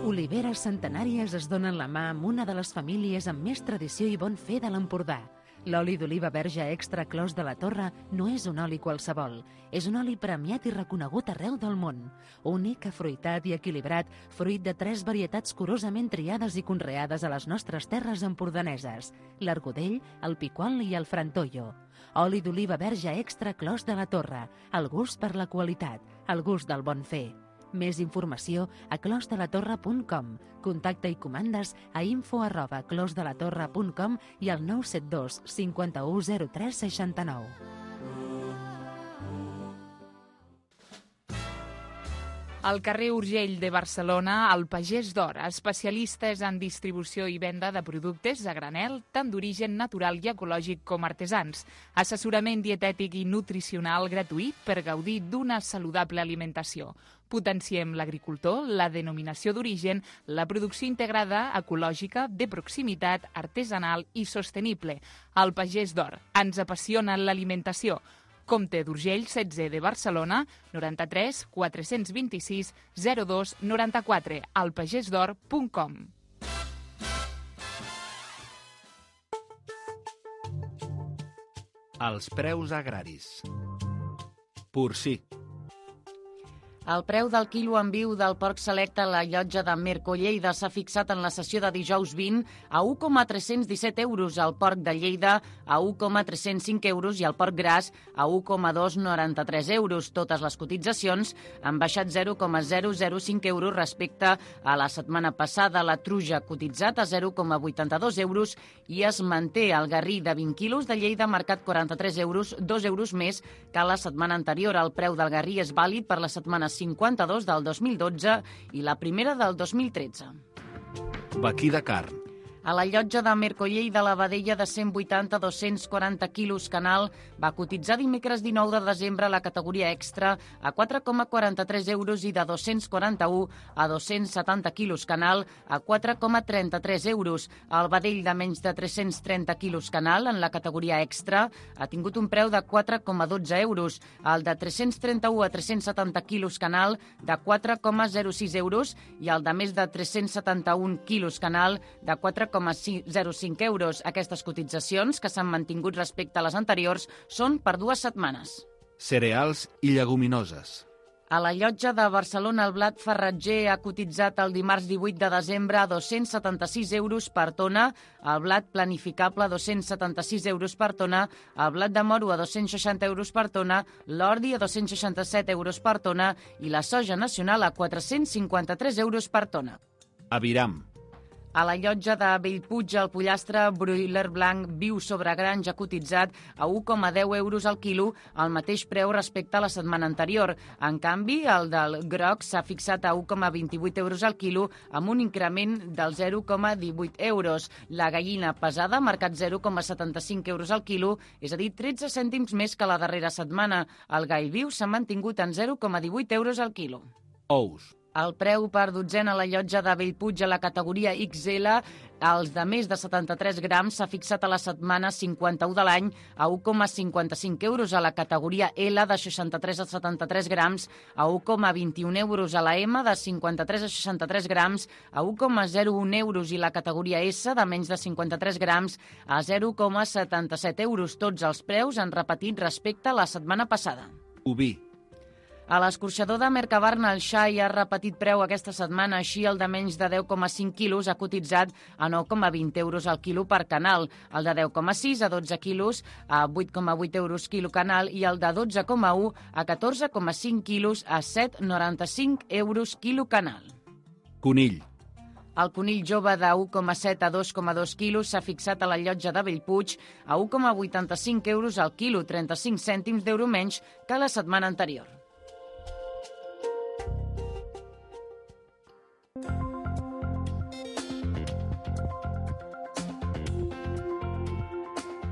Oliveres centenàries es donen la mà amb una de les famílies amb més tradició i bon fer de l'Empordà. L'oli d'oliva verge extra Clos de la Torre no és un oli qualsevol. És un oli premiat i reconegut arreu del món. Únic, afruitat i equilibrat, fruit de tres varietats curosament triades i conreades a les nostres terres empordaneses: l'argudell, el piquol i el frantollo. Oli d'oliva verge extra Clos de la Torre. El gust per la qualitat, el gust del bon fer. Més informació a clos de la torre punt com. Contacte i comandes a info arroba clos de la torre punt com i al nou set dos cinquanta-u zero tres seixanta-nou. Al carrer Urgell de Barcelona, el Pagès d'Or, especialistes en distribució i venda de productes a granel, tant d'origen natural i ecològic com artesans. Assessorament dietètic i nutricional gratuït per gaudir d'una saludable alimentació. Potenciem l'agricultor, la denominació d'origen, la producció integrada, ecològica, de proximitat, artesanal i sostenible. El Pagès d'Or. Ens apassiona l'alimentació. Comte d'Urgell, setze de Barcelona, noranta-tres quatre-cents vint-i-sis zero dos noranta-quatre, alpagesdor punt com. Els preus agraris. Porcí. El preu del quilo en viu del porc selecte a la llotja de Merco Lleida s'ha fixat en la sessió de dijous vint a un coma tres-cents disset euros, el porc de Lleida a un coma tres-cents cinc euros i el porc gras a un coma dos noranta-tres euros. Totes les cotitzacions han baixat zero coma zero zero cinc euros respecte a la setmana passada. La truja cotitzat a zero coma vuitanta-dos euros i es manté el garrí de vint quilos de Lleida marcat quaranta-tres euros, dos euros més que la setmana anterior. El preu del garrí és vàlid per la setmana cinquanta-dos del dos mil dotze i la primera del dos mil tretze. Vaquí de carn. A la llotja de Merco Lleida, la vedella de cent vuitanta a dos-cents quaranta quilos canal va cotitzar dimecres dinou de desembre a la categoria extra a quatre coma quaranta-tres euros i de dos-cents quaranta-un a dos-cents setanta quilos canal a quatre coma trenta-tres euros. El vedell de menys de tres-cents trenta quilos canal en la categoria extra ha tingut un preu de quatre coma dotze euros. El de tres-cents trenta-un a tres-cents setanta quilos canal de quatre coma zero sis euros i el de més de tres-cents setanta-un quilos canal de quatre coma zero cinc euros. Aquestes cotitzacions, que s'han mantingut respecte a les anteriors, són per dues setmanes. Cereals i lleguminoses. A la llotja de Barcelona, el blat farratger ha cotitzat el dimarts divuit de desembre a dos-cents setanta-sis euros per tona, el blat planificable a dos-cents setanta-sis euros per tona, el blat de moro a dos-cents seixanta euros per tona, l'ordi a dos-cents seixanta-set euros per tona i la soja nacional a quatre-cents cinquanta-tres euros per tona. Aviram. A la llotja de Bellpuig, el pollastre broiler blanc viu sobre granja cotitzat a un coma deu euros al quilo, al mateix preu respecte a la setmana anterior. En canvi, el del groc s'ha fixat a un coma vint-i-vuit euros al quilo, amb un increment del zero coma divuit euros. La gallina pesada ha marcat zero coma setanta-cinc euros al quilo, és a dir, tretze cèntims més que la darrera setmana. El gall viu s'ha mantingut en zero coma divuit euros al quilo. Ous. El preu per dotzena a la llotja de Bellpuig a la categoria ics ele, els de més de setanta-tres grams, s'ha fixat a la setmana cinquanta-u de l'any a un coma cinquanta-cinc euros, a la categoria L de seixanta-tres a setanta-tres grams a un coma vint-i-un euros, a la M de cinquanta-tres a seixanta-tres grams a un coma zero un euros i la categoria S de menys de cinquanta-tres grams a zero coma setanta-set euros. Tots els preus han repetit respecte a la setmana passada. Oví. A l'escorxador de Mercabarna, el xai ha repetit preu aquesta setmana, així el de menys de deu coma cinc quilos ha cotitzat a nou coma vint euros al quilo per canal, el de deu coma sis a dotze quilos a vuit coma vuit euros quilo canal i el de dotze coma u a catorze coma cinc quilos a set coma noranta-cinc euros quilo canal. Conill. El conill jove de u coma set a dos coma dos quilos s'ha fixat a la llotja de Bellpuig a u coma vuitanta-cinc euros al quilo, trenta-cinc cèntims d'euro menys que la setmana anterior.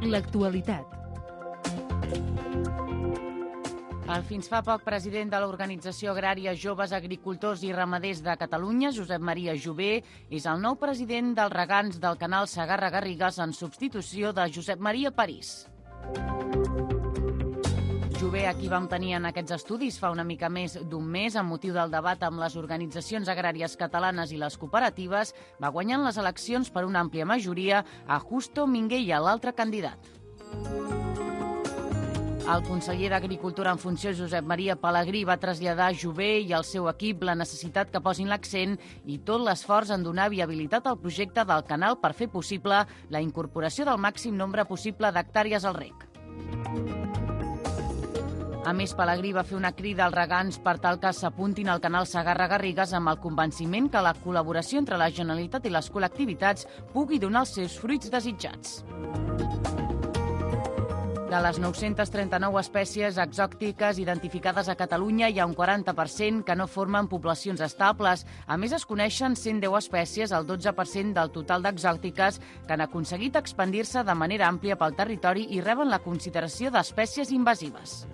L'actualitat. El fins fa poc president de l'Organització Agrària Joves Agricultors i Ramaders de Catalunya, Josep Maria Jové, és el nou president dels regants del canal Segarra-Garrigues en substitució de Josep Maria París. Jové, a qui vam tenir en aquests estudis fa una mica més d'un mes amb motiu del debat amb les organitzacions agràries catalanes i les cooperatives, va guanyant les eleccions per una àmplia majoria a Justo Minguella, l'altre candidat. El conseller d'Agricultura en funció, Josep Maria Pelegrí, va traslladar a Jové i al seu equip la necessitat que posin l'accent i tot l'esforç en donar viabilitat al projecte del canal per fer possible la incorporació del màxim nombre possible d'hectàrees al reg. A més, Pelegrí va fer una crida als regants per tal que s'apuntin al canal Segarra-Garrigues amb el convenciment que la col·laboració entre la Generalitat i les col·lectivitats pugui donar els seus fruits desitjats. De les nou-centes trenta-nou espècies exòtiques identificades a Catalunya, hi ha un quaranta per cent que no formen poblacions estables. A més, es coneixen cent deu espècies, el dotze per cent del total d'exòtiques, que han aconseguit expandir-se de manera àmplia pel territori i reben la consideració d'espècies invasives.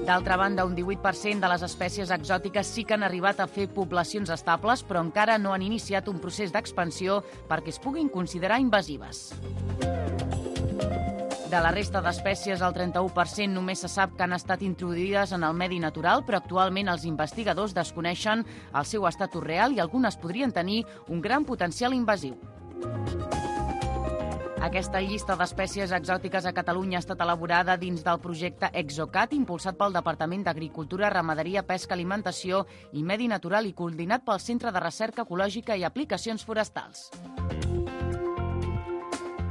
D'altra banda, un divuit per cent de les espècies exòtiques sí que han arribat a fer poblacions estables, però encara no han iniciat un procés d'expansió perquè es puguin considerar invasives. De la resta d'espècies, el trenta-u per cent només se sap que han estat introduïdes en el medi natural, però actualment els investigadors desconeixen el seu estatus real i algunes podrien tenir un gran potencial invasiu. Aquesta llista d'espècies exòtiques a Catalunya ha estat elaborada dins del projecte ExoCat, impulsat pel Departament d'Agricultura, Ramaderia, Pesca, Alimentació i Medi Natural i coordinat pel Centre de Recerca Ecològica i Aplicacions Forestals.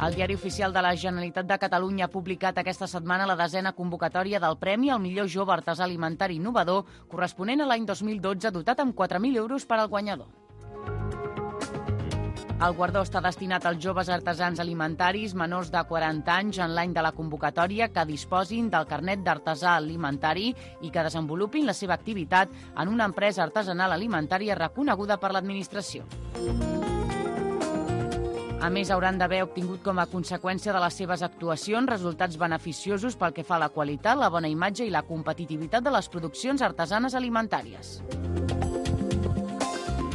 El Diari Oficial de la Generalitat de Catalunya ha publicat aquesta setmana la desena convocatòria del Premi al millor jove artesà alimentari innovador, corresponent a l'any dos mil dotze, dotat amb quatre mil euros per al guanyador. El guardó està destinat als joves artesans alimentaris menors de quaranta anys en l'any de la convocatòria que disposin del carnet d'artesà alimentari i que desenvolupin la seva activitat en una empresa artesanal alimentària reconeguda per l'administració. A més, hauran d'haver obtingut com a conseqüència de les seves actuacions resultats beneficiosos pel que fa a la qualitat, la bona imatge i la competitivitat de les produccions artesanes alimentàries.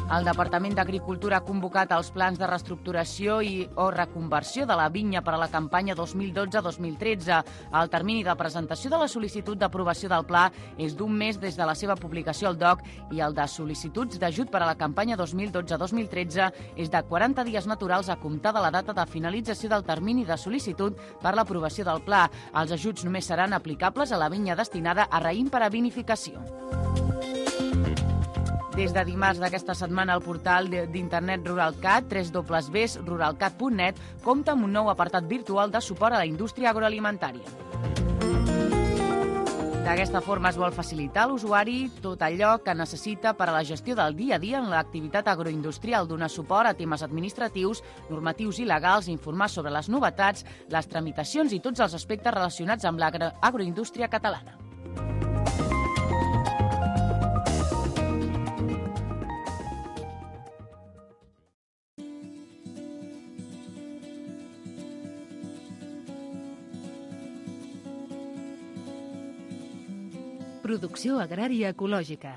El Departament d'Agricultura ha convocat els plans de reestructuració i o reconversió de la vinya per a la campanya dos mil dotze dos mil tretze. El termini de presentació de la sol·licitud d'aprovació del pla és d'un mes des de la seva publicació al D O C i el de sol·licituds d'ajut per a la campanya dos mil dotze dos mil tretze és de quaranta dies naturals a comptar de la data de finalització del termini de sol·licitud per a l'aprovació del pla. Els ajuts només seran aplicables a la vinya destinada a raïm per a vinificació. Des de dimarts d'aquesta setmana, el portal d'internet RuralCat, w w w punt ruralcat punt net, compta amb un nou apartat virtual de suport a la indústria agroalimentària. D'aquesta forma es vol facilitar a l'usuari tot allò que necessita per a la gestió del dia a dia en l'activitat agroindustrial, donar suport a temes administratius, normatius i legals, informar sobre les novetats, les tramitacions i tots els aspectes relacionats amb l'agroindústria catalana. Producció agrària ecològica.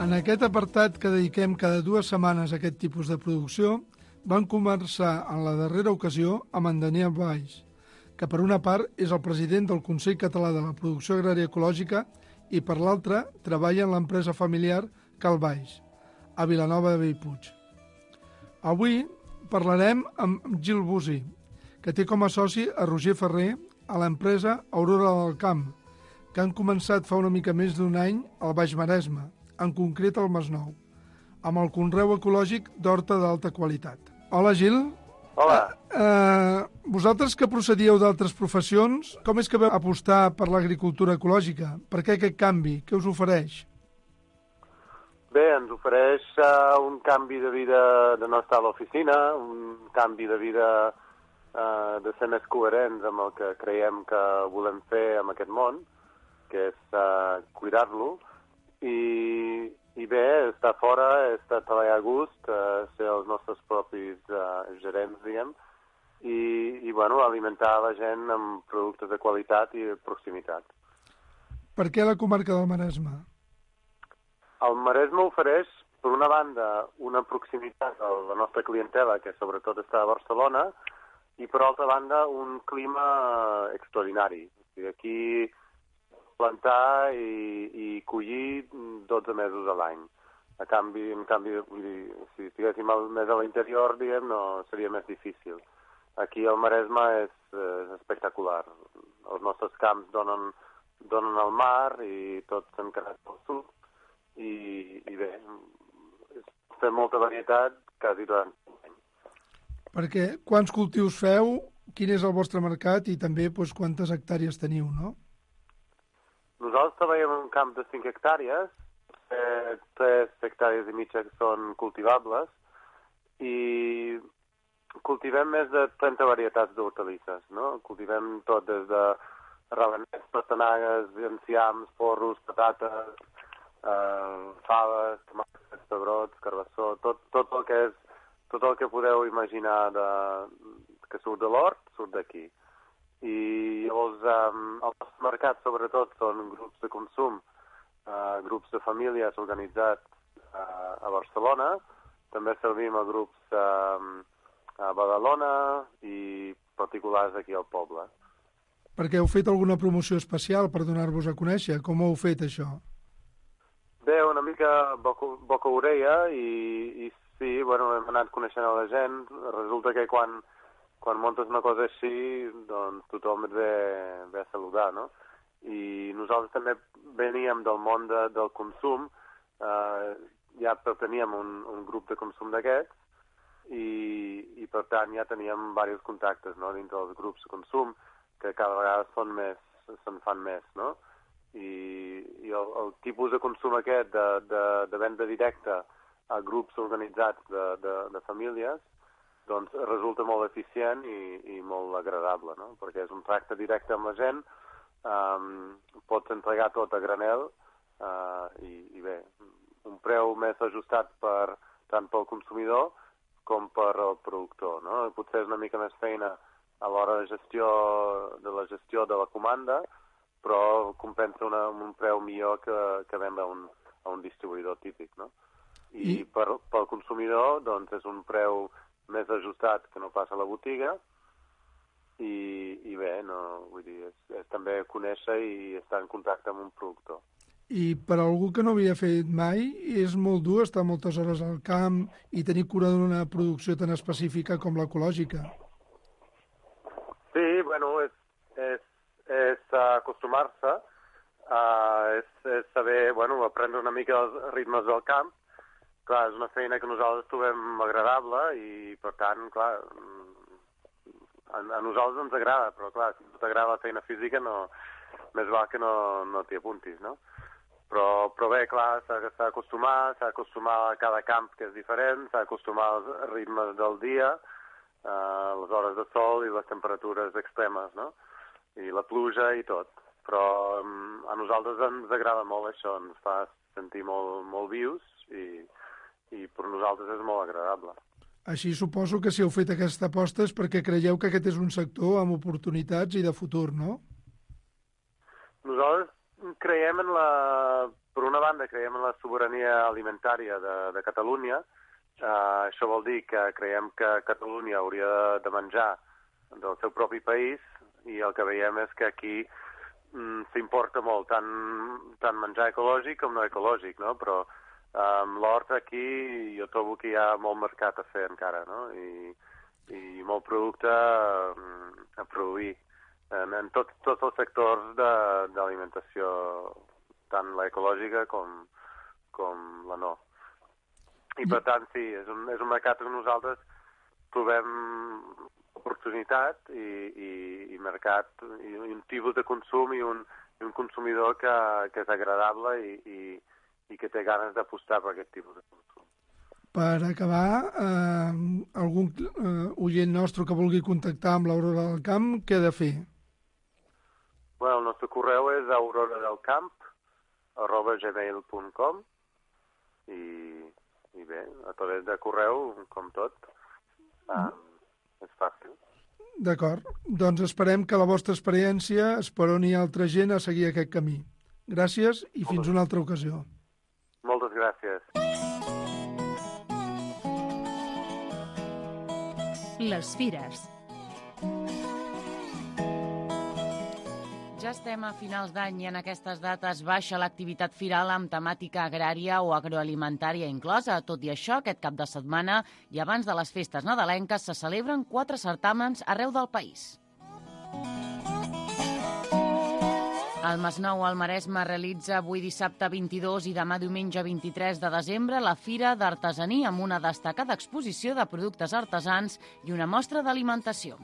En aquest apartat que dediquem cada dues setmanes a aquest tipus de producció, van començar en la darrera ocasió amb en Daniel Valls, que per una part és el president del Consell Català de la Producció Agrària Ecològica i per l'altra treballa en l'empresa familiar Cal Valls, a Vilanova de Bellpuig. Avui parlarem amb Gil Busi, que té com a soci a Roger Ferrer a l'empresa Aurora del Camp, que han començat fa una mica més d'un any al Baix Maresme, en concret al Masnou, amb el conreu ecològic d'horta d'alta qualitat. Hola, Gil. Hola. Eh, eh, vosaltres que procedíeu d'altres professions, com és que vau apostar per l'agricultura ecològica? Per què aquest canvi? Què us ofereix? Bé, ens ofereix uh, un canvi de vida de no estar a l'oficina, un canvi de vida uh, de ser més coherents amb el que creiem que volem fer amb aquest món, que és uh, cuidar-lo, i, i bé, estar fora, estar treballar a gust, uh, ser els nostres propis uh, gerents, diguem, i, i bueno, alimentar la gent amb productes de qualitat i de proximitat. Per què la comarca del Maresme? El Maresme ofereix, per una banda, una proximitat a la nostra clientela, que sobretot està a Barcelona, i per altra banda, un clima extraordinari. O sigui, aquí plantar i, i collir dotze mesos a l'any. A canvi, en canvi, vull dir, si estiguéssim més a l'interior, diguem, no seria més difícil. Aquí el Maresme és, és espectacular. Els nostres camps donen, donen al mar i tot encarat pel sud. I, i bé, fem molta varietat quasi durant l'any. Perquè quants cultius feu, quin és el vostre mercat i també doncs, quantes hectàrees teniu, no? Nosaltres treballem en un camp de cinc hectàrees, eh, tres hectàrees i mitja són cultivables i cultivem més de trenta varietats d'hortalisses, no? Cultivem tot des de ravenets, pastanagues, enciams, porros, patates, Uh, faves, tomàquets, pebrots, carbassó, tot, tot, el que és, tot el que podeu imaginar de, que surt de l'hort, surt d'aquí. I llavors um, el nostre mercat sobretot són grups de consum, uh, grups de famílies organitzats uh, a Barcelona, també servim a grups uh, a Badalona i particulars aquí al poble. Perquè heu fet alguna promoció especial per donar-vos a conèixer? Com ho heu fet, això? Bé, una mica boca, boca orella i, i sí, bueno, hem anat coneixent a la gent. Resulta que quan, quan muntes una cosa així, doncs tothom et ve, ve a saludar, no? I nosaltres també veníem del món de, del consum, eh, ja perteníem a un, un grup de consum d'aquests i, i per tant ja teníem diversos contactes, no?, dintre dels grups de consum, que cada vegada són més, se'n fan més, no? I, i el, el tipus de consum aquest de, de, de venda directa a grups organitzats de, de, de famílies doncs resulta molt eficient i, i molt agradable, no? Perquè és un tracte directe amb la gent, um, pots entregar tot a granel uh, i, i bé, un preu més ajustat per, tant pel consumidor com per el productor, no? Potser és una mica més feina a l'hora de gestió de la gestió de la comanda, però compensa una, un preu millor que, que vendre a un, a un distribuïdor típic, no? I, I... Per, pel consumidor, doncs, és un preu més ajustat que no passa a la botiga i, i bé, no, vull dir, és, és també conèixer i estar en contacte amb un productor. I per algú que no havia fet mai, és molt dur estar moltes hores al camp i tenir cura d'una producció tan específica com l'ecològica. Sí, bueno, és, és és acostumar-se, uh, és, és saber, bueno, aprendre una mica els ritmes del camp. Clar, és una feina que nosaltres trobem agradable i, per tant, clar, a, a nosaltres ens agrada, però, clar, si no t'agrada la feina física, no, més val que no, no t'hi apuntis, no? Però, però bé, clar, s'ha d'acostumar, s'ha d'acostumar a cada camp, que és diferent, s'ha d'acostumar als ritmes del dia, uh, les hores de sol i les temperatures extremes, no? I la pluja i tot. Però um, a nosaltres ens agrada molt això, ens fa sentir molt, molt vius i, i per nosaltres és molt agradable. Així suposo que si heu fet aquesta aposta és perquè creieu que aquest és un sector amb oportunitats i de futur, no? Nosaltres creiem en la... Per una banda, creiem en la sobirania alimentària de, de Catalunya. Uh, això vol dir que creiem que Catalunya hauria de menjar del seu propi país i el que veiem és que aquí mm, s'importa molt tant, tant menjar ecològic com no ecològic, no? Però Um, L'hort aquí jo trobo que hi ha molt mercat a fer encara, no? I, i molt producte um, a produir en, en tot, tots els sectors d'alimentació, tant l'ecològica com, com la no. I per tant, sí, és un, és un mercat que nosaltres trobem oportunitat i, i, i mercat, i un tipus de consum i un, i un consumidor que, que és agradable i, i, i que té ganes d'apostar per aquest tipus de consum. Per acabar, eh, algun eh, oient nostre que vulgui contactar amb l'Aurora del Camp, què ha de fer? Bueno, el nostre correu és auroradelcamp arroba gmail punt com i, i bé, a través de correu, com tot, eh, és fàcil. D'acord. Doncs esperem que la vostra experiència esperoni altra gent a seguir aquest camí. Gràcies i fins una altra ocasió. Moltes gràcies. Les fires. Ja estem a finals d'any i en aquestes dates baixa l'activitat firal amb temàtica agrària o agroalimentària inclosa. Tot i això, aquest cap de setmana i abans de les festes nadalenques se celebren quatre certàmens arreu del país. El Masnou al Maresme realitza avui dissabte vint-i-dos i demà diumenge vint-i-tres de desembre la Fira d'Artesania amb una destacada exposició de productes artesans i una mostra d'alimentació.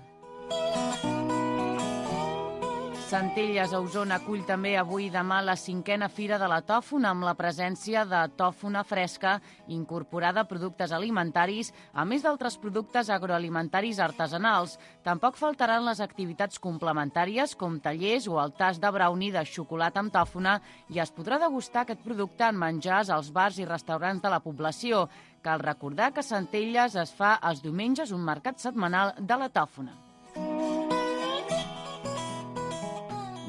Centelles a Osona acull també avui i demà la cinquena Fira de la Tòfona amb la presència de tòfona fresca incorporada a productes alimentaris, a més d'altres productes agroalimentaris artesanals. Tampoc faltaran les activitats complementàries com tallers o el tast de brownie de xocolata amb tòfona i es podrà degustar aquest producte en menjars als bars i restaurants de la població. Cal recordar que a Centelles es fa els diumenges un mercat setmanal de la tòfona.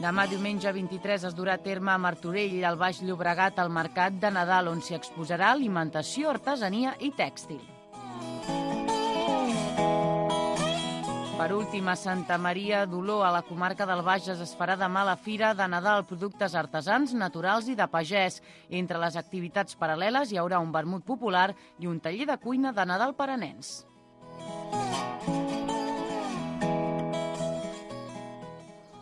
Demà, diumenge vint-i-tres, es durà a terme a Martorell, al Baix Llobregat, al Mercat de Nadal, on s'hi exposarà alimentació, artesania i tèxtil. Per últim, a Santa Maria d'Oló, a la comarca del Bages, es farà demà la Fira de Nadal, productes artesans, naturals i de pagès. Entre les activitats paral·leles hi haurà un vermut popular i un taller de cuina de Nadal per a nens.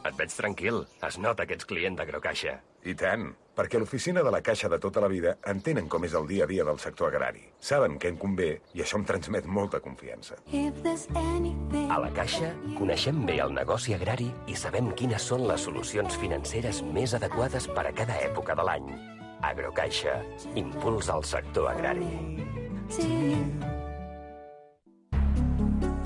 Et veig tranquil. Es nota que ets client d'Agrocaixa. I tant, perquè a l'oficina de la Caixa de tota la vida entenen com és el dia a dia del sector agrari. Saben què en convé i això em transmet molta confiança. A la Caixa coneixem bé el negoci agrari i sabem quines són les solucions financeres més adequades per a cada època de l'any. Agrocaixa, impuls al sector agrari.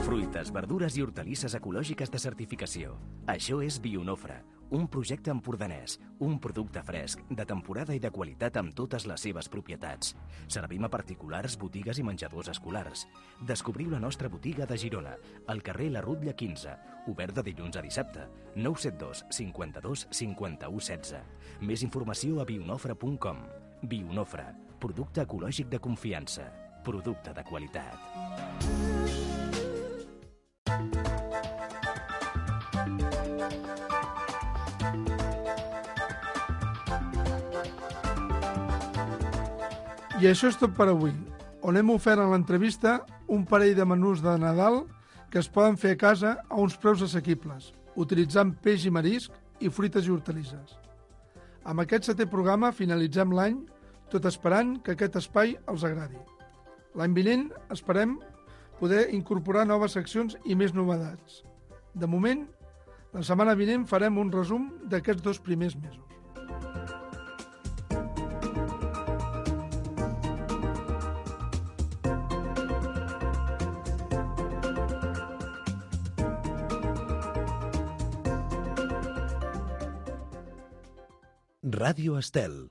Fruites, verdures i hortalisses ecològiques de certificació. Això és Bionofre, un projecte empordanès, un producte fresc, de temporada i de qualitat amb totes les seves propietats. Servim a particulars, botigues i menjadors escolars. Descobriu la nostra botiga de Girona, al carrer La Rutlla quinze, obert de dilluns a dissabte, nou set dos cinquanta-dos cinquanta-u setze. Més informació a bionofre punt com. Bionofre, producte ecològic de confiança, producte de qualitat. I això és tot per avui, on hem ofert en l'entrevista un parell de menús de Nadal que es poden fer a casa a uns preus assequibles, utilitzant peix i marisc i fruites i hortalisses. Amb aquest setè programa finalitzem l'any, tot esperant que aquest espai els agradi. L'any vinent esperem poder incorporar noves seccions i més novetats. De moment, la setmana vinent farem un resum d'aquests dos primers mesos. Ràdio Estel.